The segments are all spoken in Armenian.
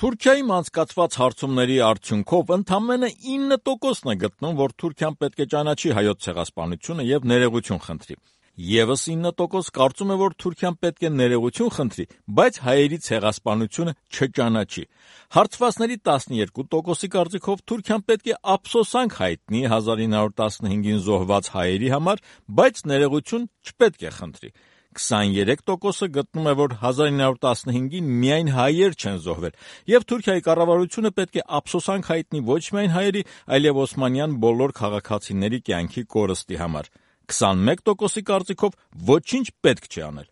Թուրքիայում անցկացված հարցումների արդյունքով ընդամենը 9%-ն է գտնում, որ Թուրքիան պետք է ճանաչի հայոց ցեղասպանությունը եւ ներողություն խնդրի։ Եվս 9% կարծում է, որ Թուրքիան պետք է ներողություն խնդրի, բայց հայերի ցեղասպանությունը չճանաչի։ Հարցվածների 12%-ի կարծիքով Թուրքիան պետք է ափսոսանք հայտնի 1915-ին զոհված հայերի համար, բայց ներողություն չպետք է խնդրի։ 23%-ը գտնում է, որ 1915-ին միայն հայեր չեն զոհվել, եւ Թուրքիայի կառավարությունը պետք է ափսոսանք հայտնի ոչ միայն հայերի, այլև օսմանյան բոլոր քաղաքացիների կյանքի կորստի համար։ 21%-ի կարծիքով ոչինչ պետք չի անել։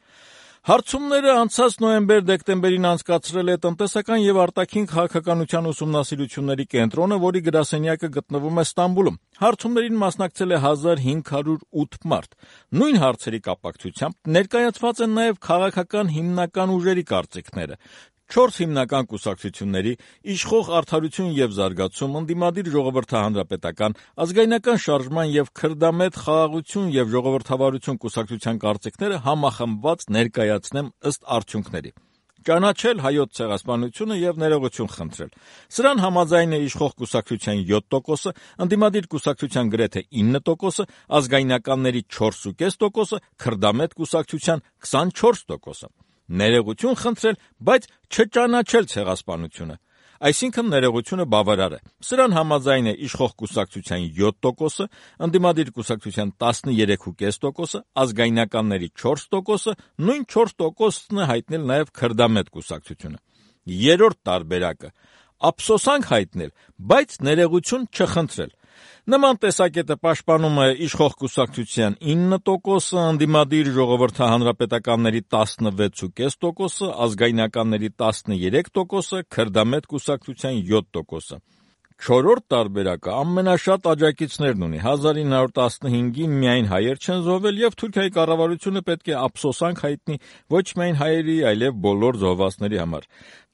Հարցումները անցած նոյեմբեր-դեկտեմբերին անցկացրել է տնտեսական եւ արտաքին քաղաքականության ուսումնասիրությունների կենտրոնը, որի գրասենյակը գտնվում է Ստամբուլում։ Հարցումներին մասնակցել է 1508 մարդ։ Նույն հարցերի կապակցությամբ ներկայացված են նաեւ քաղաքական հիմնական ուժերի կարծիքները։ 4 հիմնական կուսակցությունների՝ Իշխող Արդարություն եւ Զարգացում, Ընդդիմադիր Ժողովրդահանրապետական, Ազգայնական շարժման եւ Քրդամետ Խաղաղություն եւ Ժողովրդավարություն կուսակցության կարծիքները համախմբված ներկայացնեմ ըստ արդյունքների։ Ճանաչել հայոց ցեղասպանությունը եւ ներողություն խնդրել։ Սրան համաձայն է Իշխող կուսակցության 7%-ը, Ընդդիմադիր կուսակցության գրեթե 9%-ը, Ազգայնականների 4.5%-ը, Քրդամետ կուսակցության 24%-ը։ Ներողություն խնդրել, բայց չճանաչել ցեղասպանությունը։ Այսինքն ներողությունը բավարար է։ Սրան համաձայն է Իշխող կուսակցության 7%-ը, Ընդդիմադիր կուսակցության 13.5%-ը, Ազգայնականների 4%-ը, նույն 4%-ն է հայտնել նաև Քրդամետ կուսակցությունը։ Երրորդ տարբերակը՝ ափսոսանք հայտնել, բայց ներողություն չխնդրել։ Նման տեսակետը պաշտպանում է Իշխող կուսակցության 9%-ը, Ընդդիմադիր Ժողովրդահանրապետականների 16.5%-ը, Ազգայնականների 13%-ը, Քրդամետ կուսակցության 7%-ը։ Չորրորդ տարբերակը ամենաշատ աջակիցներն ունի։ 1915-ին միայն հայեր չեն զոհվել եւ Թուրքիայի կառավարությունը պետք է ափսոսանք հայտնի ոչ միայն հայերի, այլև բոլոր զոհվածների համար։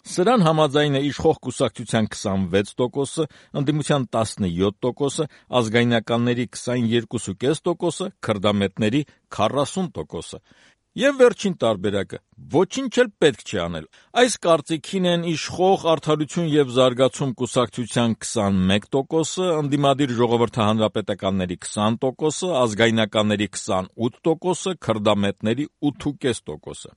Սրան համաձայն է Իշխող կուսակցության 26%-ը, Ընդդիմության 17%-ը, Ազգայնականների 22.5%-ը, Քրդամետների 40%-ը։ Եվ վերջին տարբերակը՝ ոչինչ էլ պետք չի անել։ Այս կարծիքին են Իշխող Արդարություն եւ Զարգացում կուսակցության 21%-ը, Ընդդիմադիր Ժողովրդահանրապետականների 20%-ը, Ազգայնականների 28%-ը, Քրդամետների 8.5%-ը։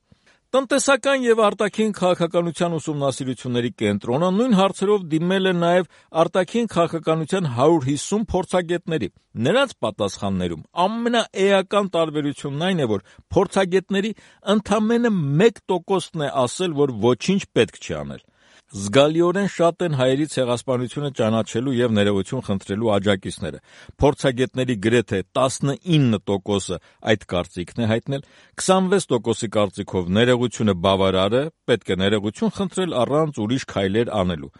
Տնտեսական եւ արտաքին քաղաքականության ուսումնասիրությունների կենտրոնը նույն հարցերով դիմել է նաեւ արտաքին քաղաքականության 150 փորձագետների։ Նրանց պատասխաններում ամենաէական տարբերությունն այն է, որ փորձագետների ընդամենը 1%-ն է ասել, որ ոչինչ պետք չի անել։ Զգալիորեն շատ են հայերի ցեղասպանությունը ճանաչելու եւ ներողություն խնդրելու աջակիցները։ Փորձագետների գրեթե 19%-ը այդ կարծիքն է հայտնել, 26%-ի կարծիքով ներողությունը բավարար է, պետք է ներողություն խնդրել առանց ուրիշ քայլեր անելու։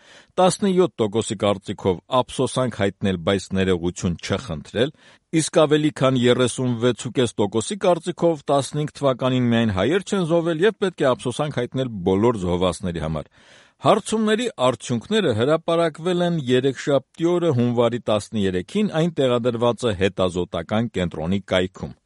17%-ի կարծիքով ափսոսանք հայտնել, բայց ներողություն չխնդրել, իսկ ավելի քան 36.5%-ի կարծիքով 15 թվականին միայն հայեր չեն զոհվել եւ պետք է ափսոսանք հայտնել բոլոր զոհվածների համար։ Հարցումների արդյունքները հրապարակվել են երեքշաբթի օրը հունվարի 13-ին, այն տեղադրված է հետազոտական կենտրոնի կայքում։